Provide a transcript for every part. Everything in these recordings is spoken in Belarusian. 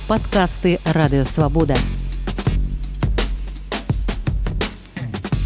Падкасты Радыё Свабода.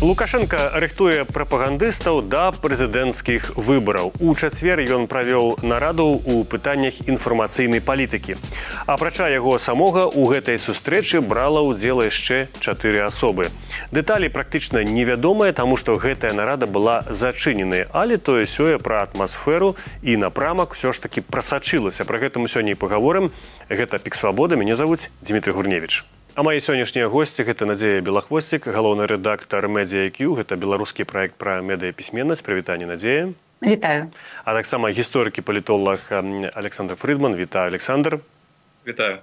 Лукашенко рыхтуе прапагандыстаў да прэзідэнцкіх выбараў. У чацвер ён правёў нараду ў пытаннях інфармацыйнай палітыкі. Апрача яго самога, у гэтай сустрэчы брала ўдзел яшчэ 4 асобы. Дэталі практычна невядомыя, таму што гэтая нарада была зачыненая, але тое-сёе пра атмасферу і напрамак ўсё ж такі прасачылася. Пра гэта мы сёння і пагаворым. Гэта Пік Свабода, мяне завуць Дмітрий Гурневіч. А мои сённяшнія госці – гэта Надзея Белахвосцік, галоўны рэдактар Media IQ, гэта беларускі праект пра медыяпісьменнасць. Прывітанне, Надзея. Вітаю. А таксама гісторык і палітолог Александр Фридман. Вітаю, Александр. Вітаю.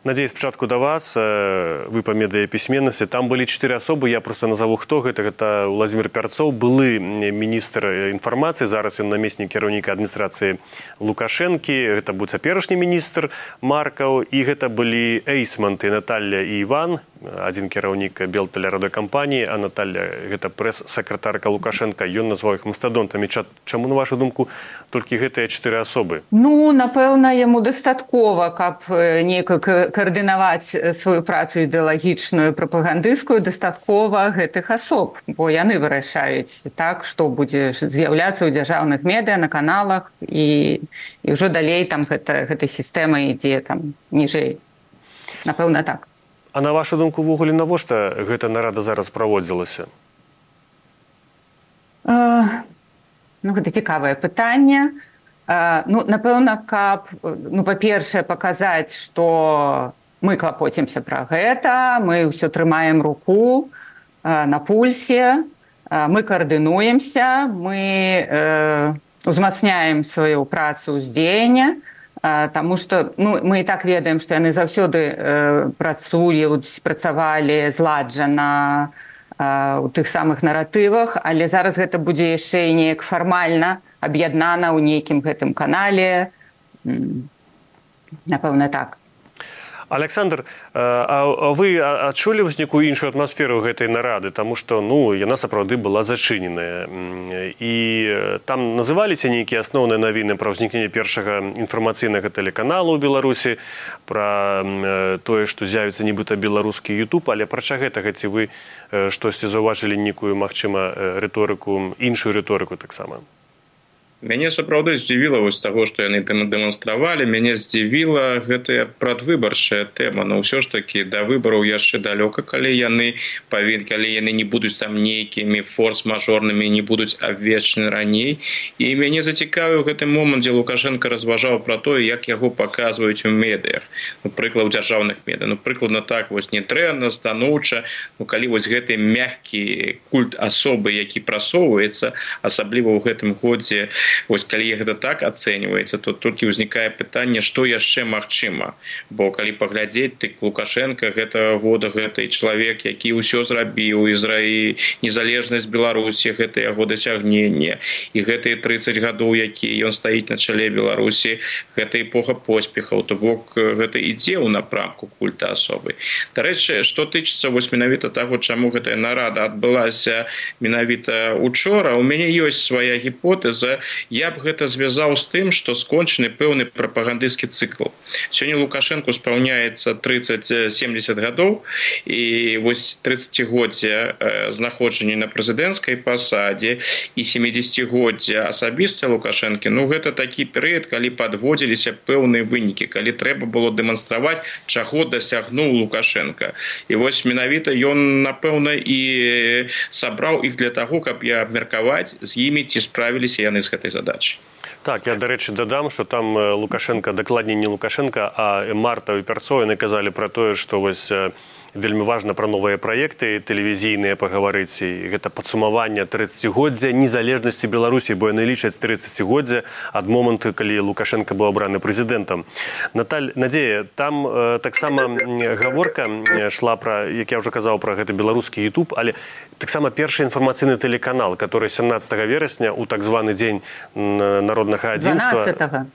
Надзея, спачатку да вас, вы па медыяпісьменнасці. Там былі 4 асобы, я просто назову хто. Гэта Уладзімір Пярцоў, былы міністр інфармацыі, зараз ён намеснік кіраўніка адміністрацыі Лукашэнкі. Гэта быў цяперашні міністр Маркаў, і гэта былі Эйсмант і Наталья і Іван, адзін кіраўнік Белтэлерадыёкампаніі, а Наталья гэта прэс-сакратарка Лукашенка. Ён назваў іх мастадонтамі. Чаму, на вашу думку, толькі гэтыя 4 асобы? Ну, напэўна, яму дастаткова, каб неяк каардынаваць сваю працу ідэалагічную, прапагандысцкую, дастаткова гэтых асоб, бо яны вырашаюць так, што будзе з'яўляцца ў дзяржаўных медыа, на каналах, і ўжо далей там гэтай сістэма ідзе там ніжэй. Напэўна, так. А на вашу думку, увогуле, навошта гэта нарада зараз праводзілася? Гэта цікавае пытанне. Напэўна, каб, па-першае, паказаць, што мы клапоцімся пра гэта, мы ўсё трымаем руку на пульсе, мы каардынуемся, мы узмацняем сваю працу ўздзеяння, таму што мы і так ведаем, што яны заўсёды працавалі зладжана у тых самых наратывах, але зараз гэта будзе яшчэ і неяк фармальна аб'яднана ў нейкім гэтым канале. Напэўна, так. Александр, а вы адчулі нейкую іншую атмасферу гэтай нарады, таму што яна сапраўды была зачыненая. І там называліся нейкія асноўныя навіны пра ўзнікненне першага інфармацыйнага тэлеканалу ў Беларусі, пра тое, што з'явіцца нібыта беларускі YouTube, але апрача гэтага ці вы штосьці заўважылі нейкую, магчыма, рыторыку, іншую рыторыку таксама? Мяне сапраўды здзівіла вось таго, што яны дэманстравалі. Мяне здзівіла гэтая прадвыбарчая тэма. Но ўсё ж такі да выбараў яшчэ далёка, калі яны не будуць там нейкімі форс-мажорнымі, не будуць абвешчаны раней. І мяне зацікавіў гэты момант, дзе Лукашенко разважаў пра тое, як яго паказваюць у медыях. Прыклад, у дзяржаўных медыях. Прыкладна так, вось не дрэнна, станоўча. Калі вось гэты мяккі культ асобы, які прасоўваецца, асабліва ў гэтым годзе, вось калі гэта так ацэньваецца, то толькі ўзнікае пытанне, што яшчэ магчыма. Бо калі паглядзець, дык Лукашенко гэтага года, гэты чалавек, які ўсё зрабіў, незалежнасць Беларусі, гэта яго дасягненне, і гэтыя 30 гадоў, які ён стаіць на чале Беларусі, гэта эпоха поспехаў, то бок гэта ідзе ў напрамку культа асобы. Дарэчы, што тычыцца вось менавіта таго, чаму гэтая нарада адбылася менавіта учора, у мяне ёсць свая гіпотэза. Я б гэта звязаў з тым, што скончаны пэўны прапагандысцкі цыкл. Сёння Лукашенку спаўняецца 30-70 гадоў, і вось 30-годдзе знаходжання на прэзідэнцкай пасадзе і 70-годдзе асабіста Лукашэнкі, гэта такі перыяд, калі падводзіліся пэўныя вынікі, калі трэба было дэманстраваць, чаго дасягнуў Лукашенко. І вось менавіта ён, напэўна, і сабраў іх для таго, каб абмеркаваць з імі, ці справіліся яны з гэтай задачай. Так, я, дарэчы, дадам, што там Лукашенко, дакладней не Лукашенко, а Марта і Пярцоў, яны казалі пра тое, што вось вельмі важна пра новыя праекты тэлевізійныя пагаварыць, і гэта падсумаванне 30-годдзя незалежнасці Беларусі, бо яны лічаць 30-годдзя ад моманту, калі Лукашенко быў абраны прэзідэнтам. Надзея, там таксама гаворка шла пра, як я ўжо казаў, пра гэты беларускі YouTube, але таксама першы інфармацыйны тэлеканал, который 17 верасня у так званы дзень народнага адзінства... 12-го.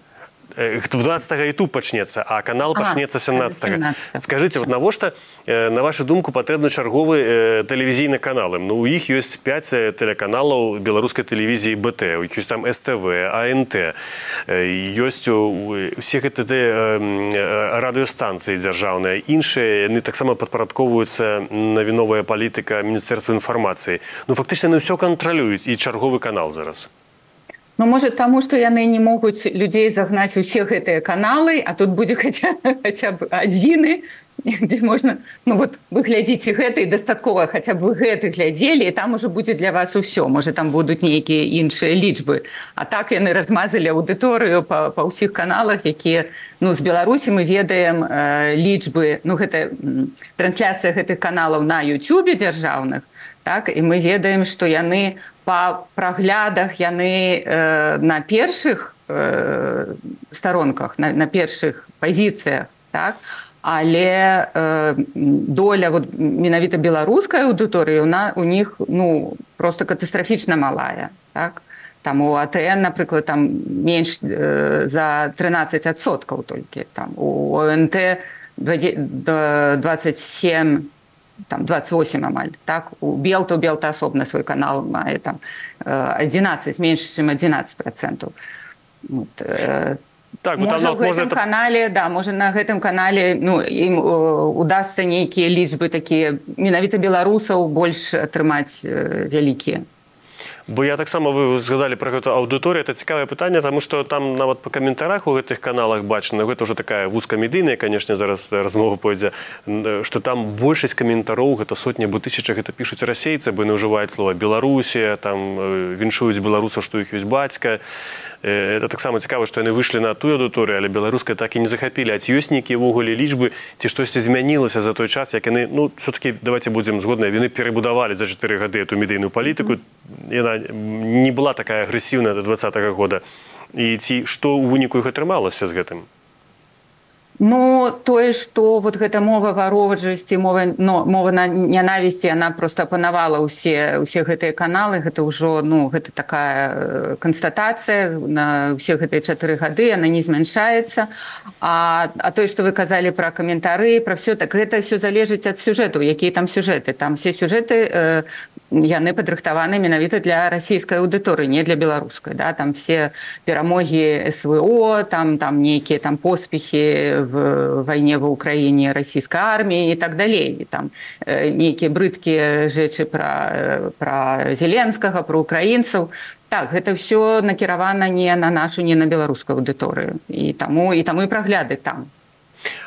В 20-го YouTube пачнецца, а канал пачнецца 17-го. Скажыце, вот навошта, на вашу думку, патрэбны чарговы тэлевізійны каналы? Ну, у іх ёсць 5 тэлеканалаў беларускай тэлевізіі БТ, у іх ёсць там СТВ, АНТ, ёсць усе гэтыя радыёстанцыі дзяржаўныя, іншыя, яны таксама падпарадковваюцца навіновая палітыка Міністэрства інфармацыі. Ну, фактычна, яны ўсё кантралююць, і чарговы канал зараз. Ну, может, тому, что яны не могут людей загнать у всех гэтыя каналы, а тут будзе хотя бы адзіны, где можно, ну вот, вы глядзіце гэта, і дастаткова хотя бы вы гэты глядзелі, і там уже будзе для вас усё. Может, там будуць нейкія іншыя лічбы. А так яны размазалі аўдыторыю па ўсіх каналах, якія, ну, з Беларусі мы ведаем лічбы, ну, гэта трансляцыя гэтых каналаў на YouTube дзяржаўных, так, і мы ведаем, што яны па праглядах, яны на першых старонках, на першых пазіцыях, так, але доля вот, менавіта беларускай аўдыторыі у них, ну, просто катастрафічна малая, так. Там у АТН, напрыклад, там менш за 13% толькі, там у ОНТ 27, там 28 амаль, так, у Белта асобна свой канал мае там 11, менш, чым 11%. Вот, так, можа, в гэтым канале, да, можа, на гэтым канале, ну, ім удасца нейкія лічбы такія, менавіта беларусаў больш атрымаць вялікія. Бо я таксама, вы згадалі пра гэту аўдыторыю, это цікавае пытанне, таму што там нават па каментарах у гэтых каналах бачна, гэта ўжо такая вузкамедыйная, канешне, зараз размова пойдзе, што там большасць каментароў, гэта сотні або тысяча, гэта пішуць расейцы, бо яны ўжываюць слова Беларусія, там віншуюць беларусаў, што іх ёсць бацька. Это таксама цікава, што яны выйшлі на тую аўдыторыю, але беларускай так і не захапілі. А ці ёсць нейкія ўвогуле лічбы, ці штосьці змянілася за той час, як яны, ну, все-таки, давайте будзем згодныя, яны перабудавалі за 4 гады эту медыйную палітыку, яна не была такая агрэсіўная до 20-го года. І ці што ў выніку іх атрымалася з гэтым? Ну, тое, што вот гэта мова варожасці, мова нянавісці, яна проста апанавала ўсе гэтыя каналы, гэта ўжо, ну, гэта такая канстатацыя на ўсе гэтыя 4 гады, яна не змяншаецца. А тое, што вы казалі пра каментары, пра ўсё, так гэта ўсё залежыць ад сюжэтаў, якія там сюжэты. Там все сюжэты, яны падрыхтаваны менавіта для расійскай аўдыторыі, не для беларускай, да? Там все перамогі СВО, там нейкія там поспехи в войне в Украине российской армии и так далее. И там некие брыдкие rzeczy про Зеленского, про украинцев. Так, это все накіравана не на нашу, не на беларускую аўдыторыю. І таму і прагляды там.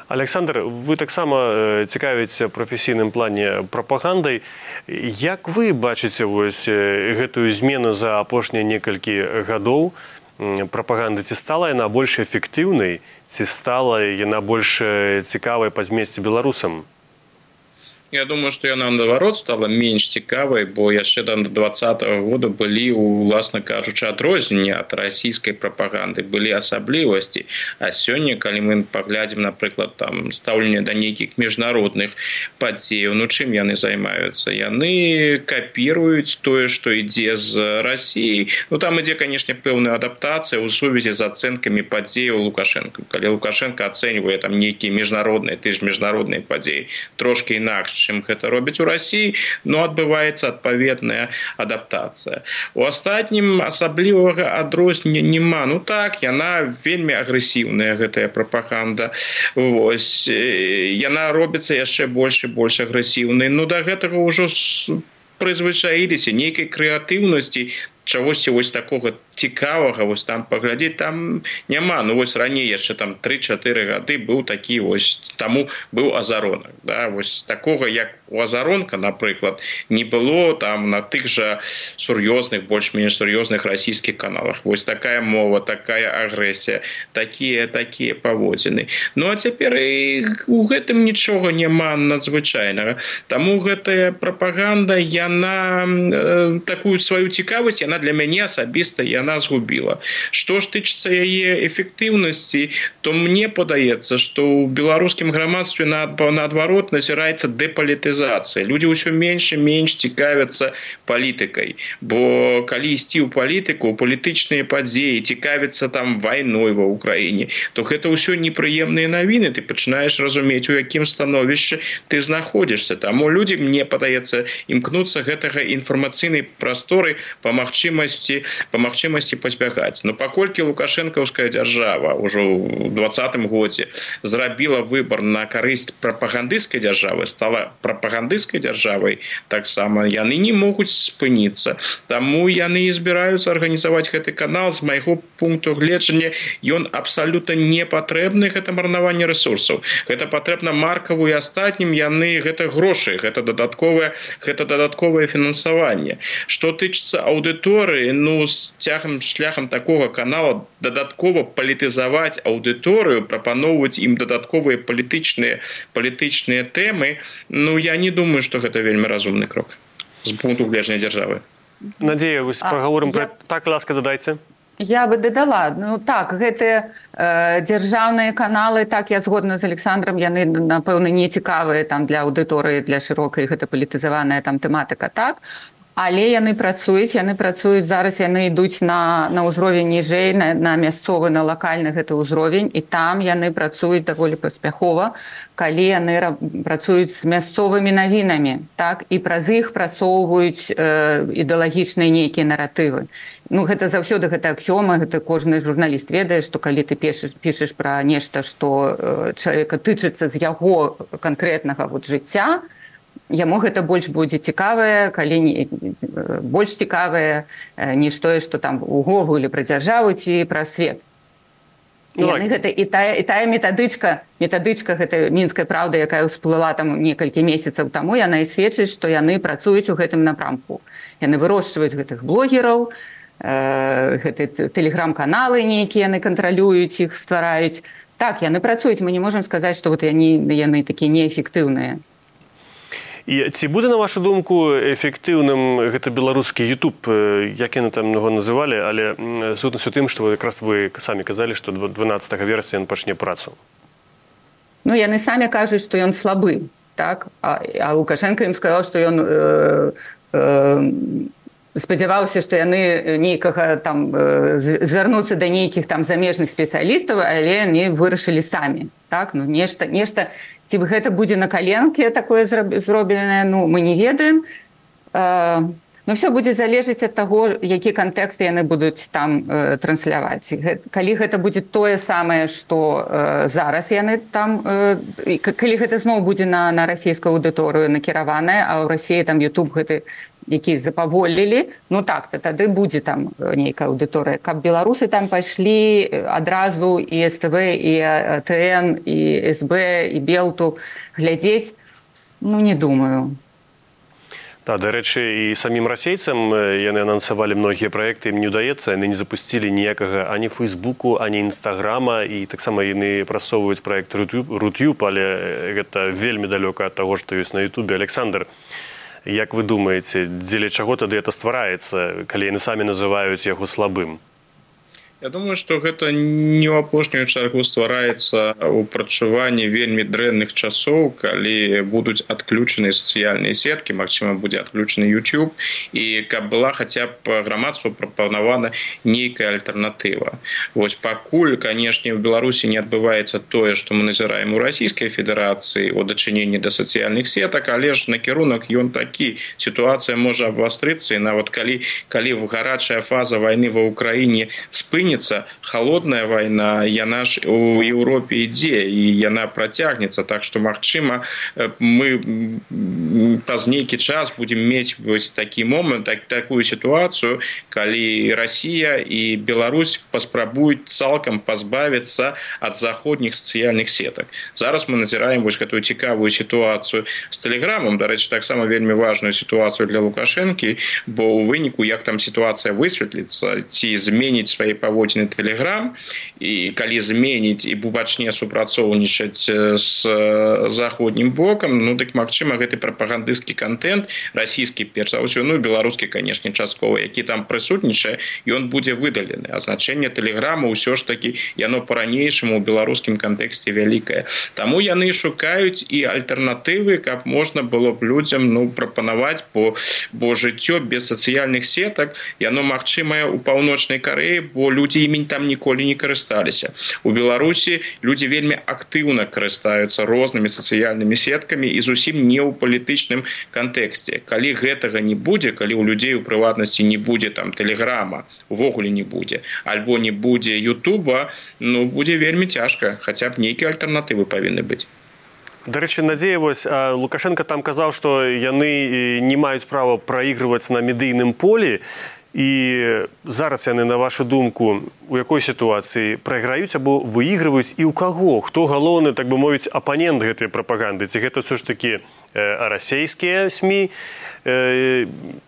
Александр, вы таксама цікавіце прафесійным плане прапагандай. Як вы бачыце вось гэтую змену за апошнія некалькі гадоў прапаганды? Ці стала яна больш эфектыўнай, ці стала яна больш цікавай па змесце беларусам? Я думаю, што яна, наадварот, стала менш цікавай, бо яшчэ да 20-го года былі, уласна кажучы, адрозненні ад расійскай прапаганды, былі асаблівасці. А сёння, калі мы паглядзім, напрыклад, там стаўленне да нейкіх міжнародных падзеяў, ну чым яны займаюцца? Яны капіруюць тое, што ідзе з Расіі. Ну там ідзе, канешне, пэўная адаптацыя ў сувязі з ацэнкамі падзеяў Лукашенко. Калі Лукашенко ацэньвае там нейкія міжнародныя, міжнародныя падзеі, трошки інакш, чым гэта робяць у Расіі, но адбываецца адпаведная адаптацыя. У астатнім асаблівага адрознення няма. Ну так, яна вельмі агрэсіўная, гэтая прапаганда. Вось, яна робіцца яшчэ больш і больш агрэсіўнай. Ну да гэтага ўжо прызвычаіліся, нейкай крэатыўнасці, чагосьці вось такога цікавага, вось там паглядзець, там няма. Ну вось раней яшчэ там 3-4 гады быў такі вось, таму быў Азаронак, да, вось такога як у Азаронка, напрыклад, не было там на тых жа сур'ёзных, больш-менш сур'ёзных расійскіх каналах. Вось такая мова, такая агрэсія, такія паводзіны. Ну а цяпер і у гэтым нічога няма надзвычайнага. Таму гэтая прапаганда, яна такую сваю цікавасць, яна для мяне асабіста, яна яна згубіла. Што ж тычыцца яе эфектыўнасці, то мне падаецца, што ў беларускім грамадстве наадварот назіраецца дэпалітызацыя. Людзі ўсё менш і менш цікавяцца палітыкай, бо калі ісці ў палітыку, палітычныя падзеі, цікавіцца там вайной ва ўкраіне, то гэта ўсё непрыемныя навіны, ты пачынаеш разумець, у якім становішчы ты знаходзішся. Таму людзі, мне падаецца, імкнуцца гэтага інфармацыйнай прасторы па магчымасці пазбягаць. Но паколькі лукашэнкаўская дзяржава ўжо ў 2020 годзе зрабіла выбар на карысць прапагандысцкай дзяржавы, стала прапагандысцкай дзяржавай, таксама яны не могуць спыніцца. Таму яны і збіраюцца арганізаваць гэты канал. З майго пункту гледжання ён абсалютна не патрэбны, гэта марнаванне рэсурсаў. Гэта патрэбна маркаву і астатнім, яны гэта грошы, гэта дадатковае фінансаванне. Што тычыцца аўдыторыі, з шляхам такога канала дадаткова палітызаваць аўдыторыю, прапаноўваць ім дадатковыя палітычныя тэмы, я не думаю, што гэта вельмі разумны крок з пункту гледжання дзяржавы. Надзея, вось пагаворым пра... Так, ласка, дадайце. Я бы дадала. Так, гэтыя дзяржаўныя каналы, так, я згодна з Александром, яны, напэўна, не цікавыя там для аўдыторыі, для шырокай, гэта палітызаваная там тэматыка, так. Але яны працуюць зараз, яны ідуць на ўзровень ніжэй, на мясцовы, на лакальны гэты ўзровень, і там яны працуюць даволі паспяхова, калі яны працуюць з мясцовымі навінамі, так, і праз іх прасоўваюць ідэалагічныя нейкія наратывы. Гэта заўсёды гэта аксіома, гэта кожны журналіст ведае, што калі ты пішаш пра нешта, што чалавека тычыцца з яго канкрэтнага жыцця, яму гэта больш будзе цікавае, больш цікавае, ніж тое, што там увогуле пра дзяржаву ці пра свет. І тая метадычка гэта мінская праўда, якая ўсплыла там некалькі месяцаў таму, яна і сведчыць, што яны працуюць у гэтым напрамку. Яны вырошчваюць гэтых блогераў, гэты тэлеграм-каналы нейкія яны кантралююць, іх ствараюць. Так, яны працуюць, мы не можам сказаць, што яны такія неэфектыўныя. І ці будзе, на вашу думку, эфектыўным гэта беларускі YouTube, як яны там яго называлі, але сутнасць у тым, што якраз вы самі казалі, што 12 верасня ён пачне працу. Яны самі кажуць, што ён слабы, так? А Лукашенко ім сказаў, што ён спадзяваўся, што яны нейкага там звярнуцца да нейкіх там замежных спецыялістаў, але яны вырашылі самі, так? Нешта ці гэта будзе на каленке такое зробленае, мы не ведаем. Но ўсё будзе залежаць ад таго, які кантэкст яны будуць там трансляваць. Калі гэта будзе тое самае, што зараз яны там, калі гэта зноў будзе на расійскую аўдыторыю накіраванае, а ў Расіі там YouTube гэты, які запаволілі, так, тады будзе там нейкая аўдыторыя. Каб беларусы там пайшлі адразу і СТВ, і ТН, і СБ, і Белту глядзець, не думаю. Дарэчы, і самім расейцам яны анансавалі многія праекты, ім не ўдаецца, яны не запусцілі ніякага ані Фейсбуку, ані Інстаграма, і таксама яны прасоўваюць праект Рутюб, але гэта вельмі далёка ад таго, што ёсць на Ютубе. Александр, як вы думаеце, дзеля чаго тады гэта ствараецца, калі яны самі называюць яго слабым? Я думаю, што гэта не ў апошнюю чаргу ствараецца ў прачуванні вельмі дрэнных часоў, калі будуць адключаны сацыяльныя сеткі, магчыма, будзе адключаны YouTube, і каб была хаця б грамадству прапанавана нейкая альтэрнатыва. Вось пакуль, канешне, ў Беларусі не адбываецца тое, што мы назіраем у Расійскай Федэрацыі у дачыненні да сацыяльных сетак, але ж накірунак ён такі. Сітуацыя можа абвастрыцца, і нават калі гарачая фаза вайны ва ўкраіне спыніцца, холодная вайна, яна ж у Еўропе ідзе, і яна працягнецца, так што, магчыма, мы праз нейкі час будзем мець вось такі момант, такую сітуацыю, калі Расія і Беларусь паспрабуюць цалкам пазбавіцца ад заходніх сацыяльных сетак. Зараз мы назіраем вось гэтую цікавую сітуацыю з Тэлеграмам, дарэчы, таксама вельмі важную сітуацыю для Лукашэнкі, бо ў выніку, як там сітуацыя высветліцца, ці зменіць свае паводзіны пераводзіць на Telegram, і калі зменіць і пачне супрацоўнічаць з заходнім бокам, ну дык магчыма гэты прапагандысцкі контент расійскі перш за ўсё, ну беларускі, канешне, часткова, які там прысутнічае, ён будзе выдалены. А значэнне Тэлеграма ўсё ж такі яно па-ранейшаму ў беларускім кантэксце вялікае. Таму яны шукаюць і альтэрнатывы, каб можна было б людзям прапанаваць, бо жыццё без сацыяльных сетак яно магчымае ў Паўночнай Карэі, бо людзі імі там ніколі не карысталіся. У Беларусі людзі вельмі актыўна карыстаюцца рознымі сацыяльнымі сеткамі і зусім не ў палітычным кантэксце. Калі гэтага не будзе, калі ў людзей у прыватнасці не будзе там Тэлеграма, увогуле не будзе, альбо не будзе Ютуба, ну будзе вельмі цяжка, хаця б нейкія альтэрнатывы павінны быць. Дарэчы, Надзея, вось Лукашенко там казаў, што яны не маюць права праігрываць на медыйным полі, і зараз яны, на вашу думку, у якой сітуацыі прайграюць або выігрываюць і ў каго? Хто галоўны, так бы мовіць, апанент гэтай прапаганды? Ці гэта ўсё ж такі расійскія СМІ,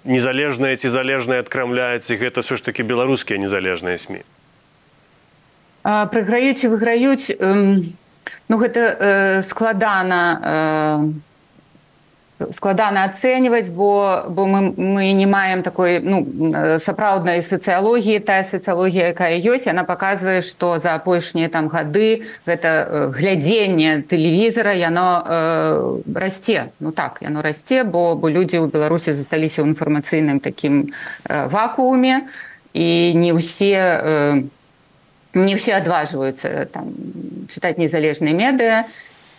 незалежныя ці залежныя ад Крамля, ці гэта ўсё ж такі беларускія незалежныя СМІ? Прайграюць і выграюць, ну гэта складана ацэньваць, бо мы не маем такой сапраўднай сацыялогіі. Тая сацыялогія, якая ёсць, яна паказвае, што за апошнія там гады гэта глядзенне тэлевізара яно расце. Ну так, яно расце, бо людзі ў Беларусі засталіся ў інфармацыйным такім вакууме, і не ўсе адважваюцца там чытаць незалежныя медыа.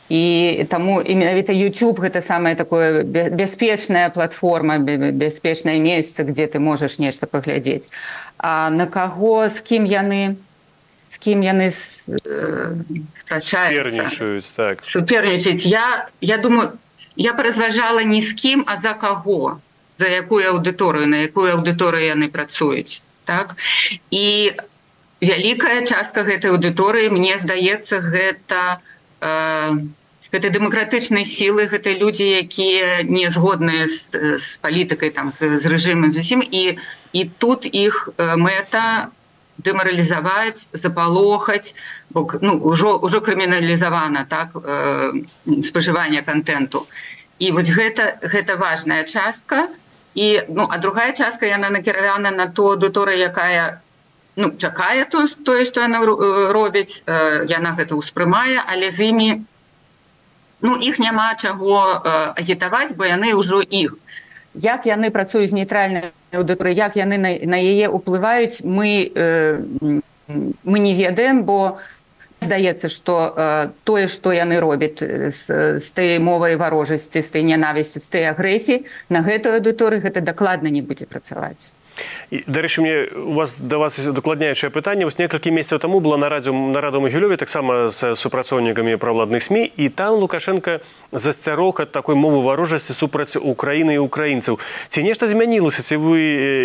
І таму і менавіта YouTube гэта самая такое бяспечная платформа, бяспечнае месца, дзе ты можаш нешта паглядзець. А на каго, з кім яны супернічаюць, так. Супернічаюць. Я думаю, я паразважала не з кім, а за каго, за якую аўдыторыю, на якую аўдыторыю яны працуюць, так? І вялікая частка гэтай аўдыторыі, мне здаецца, гэта дэмакратычныя сілы, гэта людзі, якія не згодныя з палітыкай, з рэжымам зусім, і тут іх мэта дэмаралізаваць, запалохаць, бо ўжо крыміналізавана, так, спажыванне контенту. І вось гэта важная частка, а другая частка, яна накіравана на ту аўдыторыю, якая чакае тое, што яна робіць, яна гэта ўспрымае, але з імі іх няма чаго агітаваць, бо яны ўжо іх. Як яны працуюць з нейтральнай аўдыторыяй, як яны на яе ўплываюць, мы не ведаем, бо здаецца, што тое, што яны робяць з той мовай варожасці, з той нянавісцю, з той агрэсіі, на гэтую аўдыторыю гэта дакладна не будзе працаваць. Дарэчы, мне да вас дакладняючае пытанне. Вось некалькі месяцаў таму была нарада ў Магілёве, таксама з супрацоўнікамі правладных СМІ, і там Лукашенко засцярог ад такой мовы варожасці супраць Украіны і украінцаў. Ці нешта змянілася, ці вы,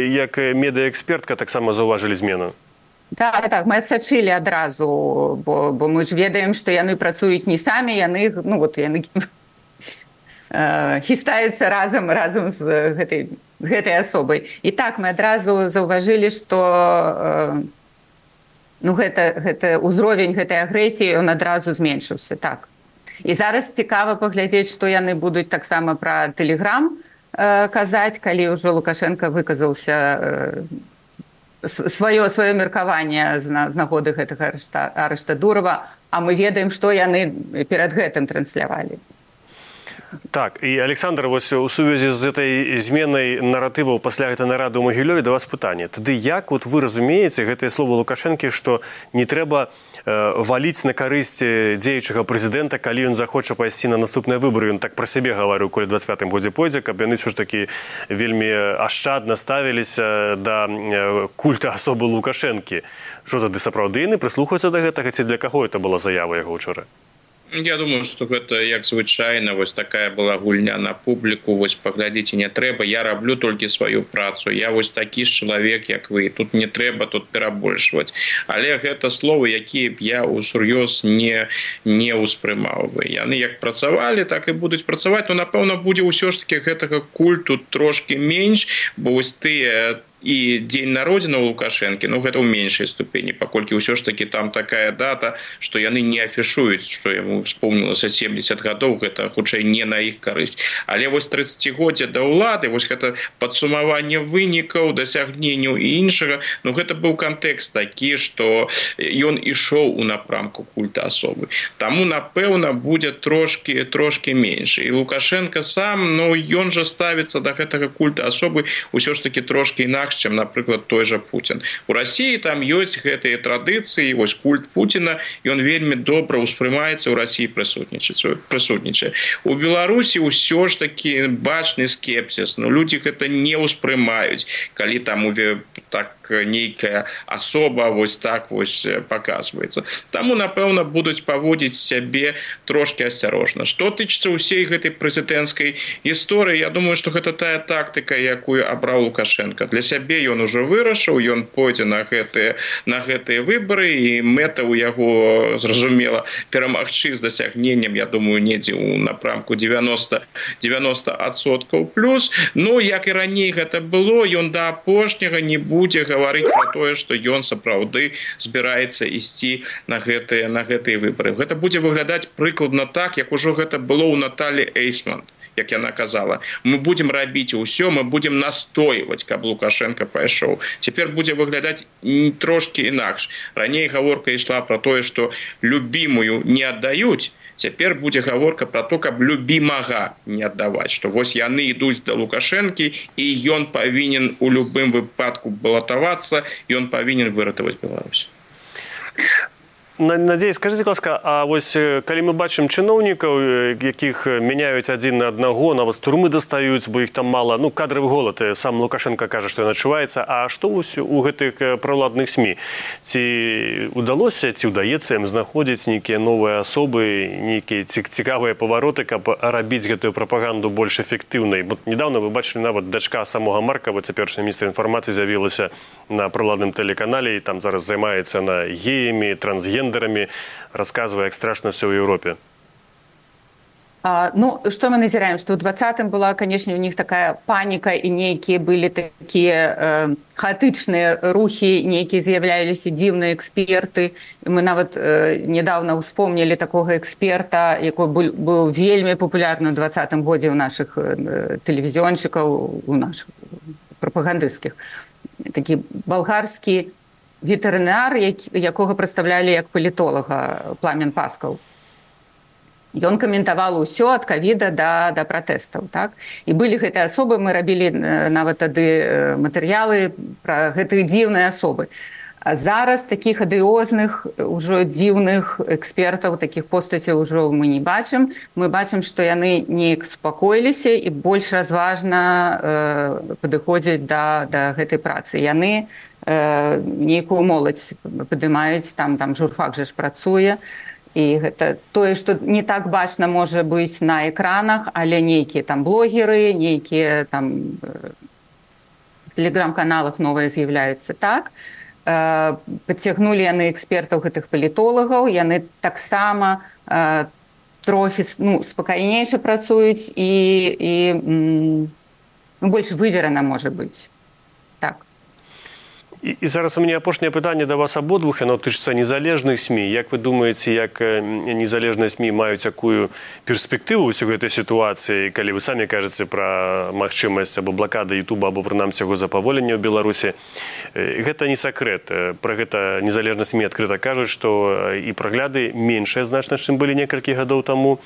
як медыаэкспертка, таксама заўважылі змену? Так, мы адсачылі адразу, бо мы ж ведаем, што яны працуюць не самі, яны хістаюцца разам з гэтай асобай. І так мы адразу заўважылі, што гэта ўзровень гэтай агрэсіі, ён адразу зменшыўся. Так. І зараз цікава паглядзець, што яны будуць таксама пра Тэлеграм казаць, калі ўжо Лукашенко выказаўся сваё меркаванне з нагоды гэтага арышта Дурова, а мы ведаем, што яны перад гэтым транслявалі. Так, і Александр, вось у сувязі з гэтай зменай наратываў пасля гэтай нарады ў Магілёве да вас пытанне. Тады як вы разумееце гэтыя словы Лукашэнкі, што не трэба валіць на карысць дзеючага прэзідэнта, калі ён захоча пайсці на наступныя выбары? Ён так пра сябе гаварыў, калі 25-м годзе пойдзе, каб яны ўсё ж такі вельмі ашчадна ставіліся да культа асобы Лукашэнкі. Што тады сапраўды яны прыслухаюцца да гэтага, ці для каго это была заява яго ўчора? Я думаю, што гэта як звычайна, вось такая была гульня на публіку, вось паглядзіце, не трэба, я раблю толькі сваю працу, я вось такі ж чалавек, як вы, тут не трэба тут перабольшваць. Але гэта словы, якія б я усур'ёз не ўспрымаў бы. Яны як працавалі, так і будуць працаваць, но напэўна будзе ўсё ж такі гэтага культу трошкі менш, бо вось тыя і дзень народзіна ў Лукашэнкі, ну гэта ў меншай ступені, паколькі ўсё ж такі там такая дата, што яны не афішуюць, што яму вспомнілася 70 гадоў, гэта хутчэй не на іх карысць. Але вось 30годдзе да ўлады, вось гэта падсумаванне вынікаў, дасягненняў і іншага, ну гэта быў кантэкст такі, што ён ішоў у напрамку культа асобы. Таму, напэўна, будзе трошкі менш. І Лукашенко сам, ну ён жа ставіцца да гэтага культа асобы ўсё ж такі трошкі інакш, чым, напрыклад, той жа Путін. У Расіі там ёсць гэтыя традыцыі, вось культ Пуціна, ён вельмі добра ўспрымаецца, ў Расіі прысутнічае. У Беларусі ўсё ж такі бачны скепсіс, ну людзі гэта не ўспрымаюць, калі там так нейкая асоба вось так вось паказваецца. Таму, напэўна, будуць паводзіць сябе трошкі асцярожна. Што тычыцца ўсей гэтай прэзідэнцкай гісторыі, я думаю, што гэта тая тактыка, якую абраў Лукашенко. Для сябе ён ужо вырашыў, ён пойдзе на гэтыя выбары, і мэта ў яго, зразумела, перамагчы з дасягненнем, я думаю, недзе ў напрамку 90% плюс. Ну, як і раней гэта было, ён да апошняга не будзе гаварыць пра тое, што ён сапраўды збіраецца ісці на гэтыя выбары. Гэта будзе выглядаць прыкладна так, як ужо гэта было ў Наталі Эйсман, як яна казала. Мы будзем рабіць усё, мы будзем настойваць, каб Лукашенко пайшоў. Цяпер будзе выглядаць трошкі інакш. Раней гаворка ішла пра тое, што любімую не аддаюць. Цяпер будзе гаворка пра то, каб любімага не аддаваць, што вось яны ідуць да Лукашэнкі, і ён павінен у любым выпадку балатавацца, ён павінен выратаваць Беларусь. Надзей, скажите, ласка, а вось калі мы бачым чыноўнікаў, якіх мяняюць адзін на аднаго, нават з турмы дастаюць, бо іх там мала, ну, кадравы голад, сам Лукашенко кажа, што ён адчуваецца, а што у гэтых праўладных СМІ? Ці удалося, ці ўдаецца ім знаходзіць нейкія новыя асобы, нейкія цікавыя павароты, каб рабіць гэтую прапаганду больш эфектыўнай? Бо недавно вы бачылі, нават дачка самога Маркава, цяперашні міністр інфармацыі, з'явілася на праўладным тэлеканале, і там зараз займаецца на геямі, трансгендерами, рассказывая, как страшно все в Европе. Ну, что мы назираем? Что в 20-м была, конечно, у них такая паника, и некие были такие хаотичные рухи, некие з'являлися дивные эксперты. Мы нават недавно вспомнили такого эксперта, который был вельми популярным в 20-м году у наших телевизионщиков, у наших пропагандистских. Такие болгарские ветеринар, якога прадстаўлялі як палітолага, Пламен Паскаў. Ён каментаваў усё ад ковіда да пратэстаў, так? І былі гэтыя асобы, мы рабілі нават тады матэрыялы пра гэтыя дзіўныя асобы. А зараз такіх адыозных, ужо дзіўных экспертаў, такіх постацяў ужо мы не бачым. Мы бачым, што яны неяк супакоіліся і больш разважна падыходзяць да гэтай працы. Яны нейкую моладзь падымаюць, там журфак жа ж працуе, і гэта тое, што не так бачна можа быць на экранах, але нейкія там блогеры, нейкія там в тэлеграм-каналах новыя з'яўляюцца так. Падцягнулі яны экспертаў гэтых палітолагаў, яны таксама трохі спакайнейша працуюць і больш выверана можа быць. Так. І зараз у мяне апошняе пытанне да вас абодвух, яно тычыцца незалежных СМІ. Як вы думаеце, як незалежныя СМІ маюць якую перспектыву ўсёй гэтай сітуацыі, калі вы самі кажаце пра магчымасць або блакады Ютуба, або прынамсі яго запаволення ў Беларусі? Гэта не сакрэт. Пра гэта незалежныя СМІ адкрыта кажуць, што і прагляды меншыя значна, чым былі некалькі гадоў таму.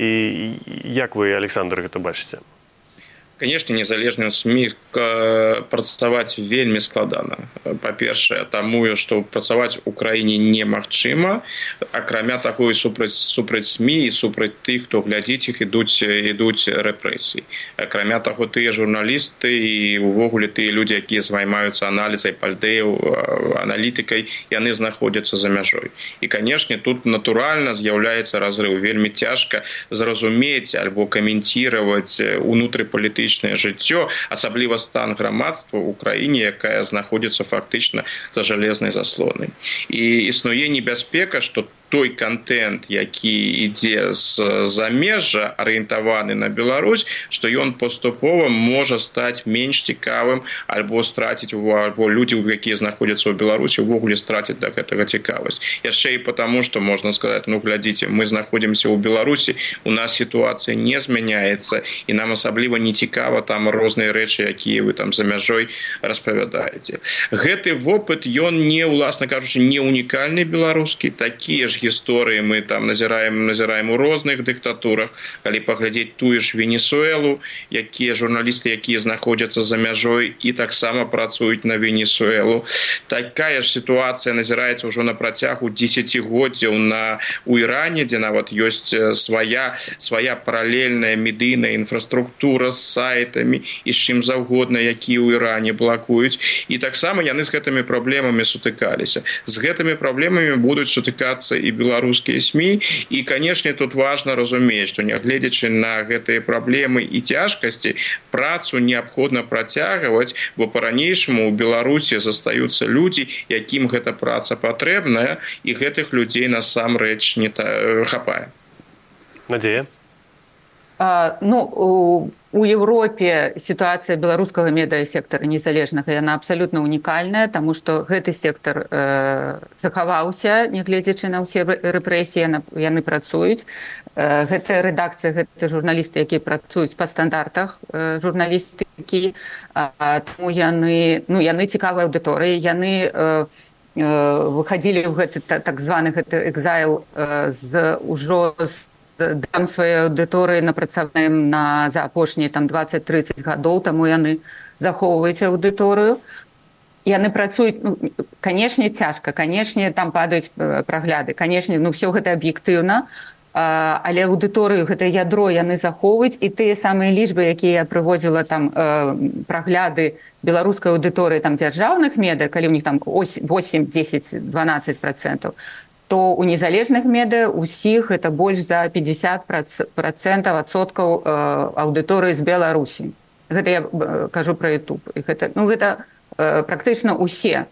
І як вы, Александр, гэта бачыце? Конечно, незалежным СМІ працаваць вельмі складана. Па-першае, таму, што працаваць у краіне немагчыма, акрамя таго і супраць СМІ і супраць тых, хто глядзіць іх, ідуць рэпрэсіі. Акрамя таго, тыя журналісты і увогуле тыя людзі, якія займаюцца аналізай пальдэяў, аналітыкай, яны знаходзяцца за мяжой. І, канешне, тут натуральна з'яўляецца разрыў. Вельмі цяжка зразумець альбо каменціраваць унутрыпалітычнае жыццё, асабліва стан грамадства ў краіне, якая знаходзіцца фактычна за жалезнай заслонай. І існуе небяспека, што той контент, які ідзе з замежжа, арыентаваны на Беларусь, што ён паступова можа стаць менш цікавым альбо страціць альбо людзі, якія знаходзяцца ў Беларусі, увогуле страцяць да гэтага цікавасць. Яшчэ і потому, што можна сказаць, ну глядзіце, мы знаходзімся ў Беларусі, у нас сітуацыя не змяняецца, і нам асабліва не цікава там розныя рэчы, якія вы там за мяжой распавядаеце. Гэты вопыт, ён не, уласна кажучы, не унікальны беларускі. Такія ж гісторыі мы там назіраем у розных дыктатурах. Калі паглядзець тую ж Венесуэлу, якія журналісты, якія знаходзяцца за мяжой і таксама працуюць на Венесуэлу. Такая ж сітуацыя назіраецца ўжо на працягу дзесяцігоддзяў у Іране, дзе нават ёсць свая паралельная медыйная інфраструктура з сайтамі і з чым заўгодна, якія ў Іране блакуюць. І таксама яны з гэтымі праблемамі сутыкаліся. З гэтымі праблемамі будуць сутыкацца і беларускія СМІ. І, канешне, тут важна разумець, што нягледзячы на гэтыя праблемы і цяжкасці, працу неабходна працягваць, бо па-ранейшаму ў Беларусі застаюцца людзі, якім гэта праца патрэбная, і гэтых людзей насамрэч не хапае. Надзея? У Европе ситуация белорусского медиасектора незалежнага, яна абсолютно унікальная, тому что гэты сектор захаваўся, нягледзячы на ўсе рэпрэсіі, яны працуюць. Гэта рэдакцыя, гэта журналісты, якія працуюць па стандартах журналістыкі, тому яны цікавыя аўдыторыі, яны выхадзілі ў гэты так званы экзайл ўжо з дам сваёй аўдыторыі напрацаваным за апошнія 20-30 гадоў, таму яны захоўваюць аўдыторыю. Яны працуюць, канешне, цяжка, канешне, там падаюць прагляды, канешне, ўсё гэта аб'ектыўна, але аўдыторыю, гэта ядро яны захоўваюць, і тыя самыя лічбы, якія я прыводзіла там прагляды беларускай аўдыторыі там дзяржаўных медыа, калі ў них там 8, 10, 12%, то у незалежных медыа усіх это больш за 50% адсоткаў аўдыторыі з Беларусі. Гэта я кажу пра YouTube. Гэта практычна усе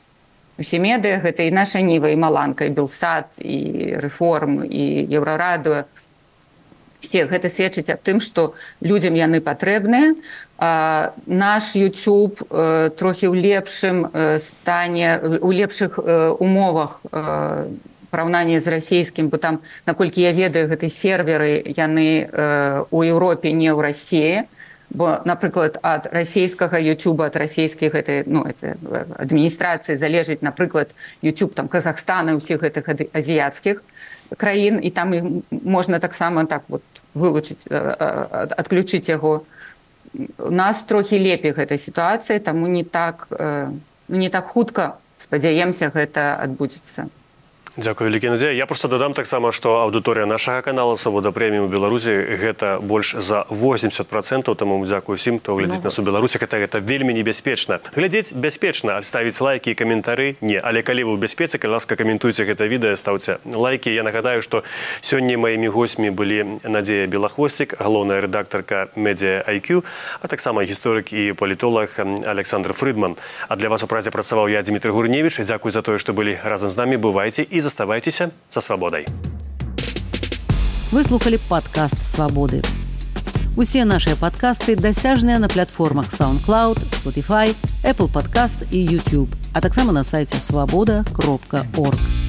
медыа, гэта і наша Ніва, і Маланка, і Белсат, і Рэформ, і Еўрарадыо. Все гэта сведчыць аб тым, што людзям яны патрэбныя. Наш YouTube трохі ў лепшым стане, у лепшых умовах параўнанні з расійскім, бо там, наколькі я ведаю, гэтыя серверы, яны ў Еўропе, не ў Расіі, бо, напрыклад, ад расійскага YouTube, ад расійскай адміністрацыі залежыць, напрыклад, YouTube там Казахстана, ўсіх гэтых азіяцкіх краін, і там можна таксама так вот вылучыць, адключыць яго. У нас трохі лепей гэтая сітуацыя, таму не так хутка, спадзяемся, гэта адбудзецца. Дзякую, вялікі Надзея. Я просто дадам таксама, што аўдыторыя нашага канала «Свабода Прэміум» у Беларусі гэта больш за 80%, таму дзякую усім, хто глядзіць нас у Беларусі. Гэта вельмі небяспечна. Глядзець бяспечна, ставіць лайкі і каментары не. Але калі вы ў бяспецы, калі ласка, каментуйце гэта відэа, стаўце лайкі. Я нагадаю, што сёння маімі госцямі былі Надзея Белахвосцік, галоўная рэдактарка Media IQ, а таксама гісторык і палітолог Александр Фрыдман. А для вас у празе працаваў я, Дмітрий Гурневіч. Дзякуй за тое, што былі разам з намі. Бывайце і заставайтеся со свободой. Вы слухали падкаст «Свабоды». Усе нашыя падкасты дасяжныя на платформах SoundCloud, Spotify, Apple Podcasts і YouTube, а таксама на сайце swaboda.org.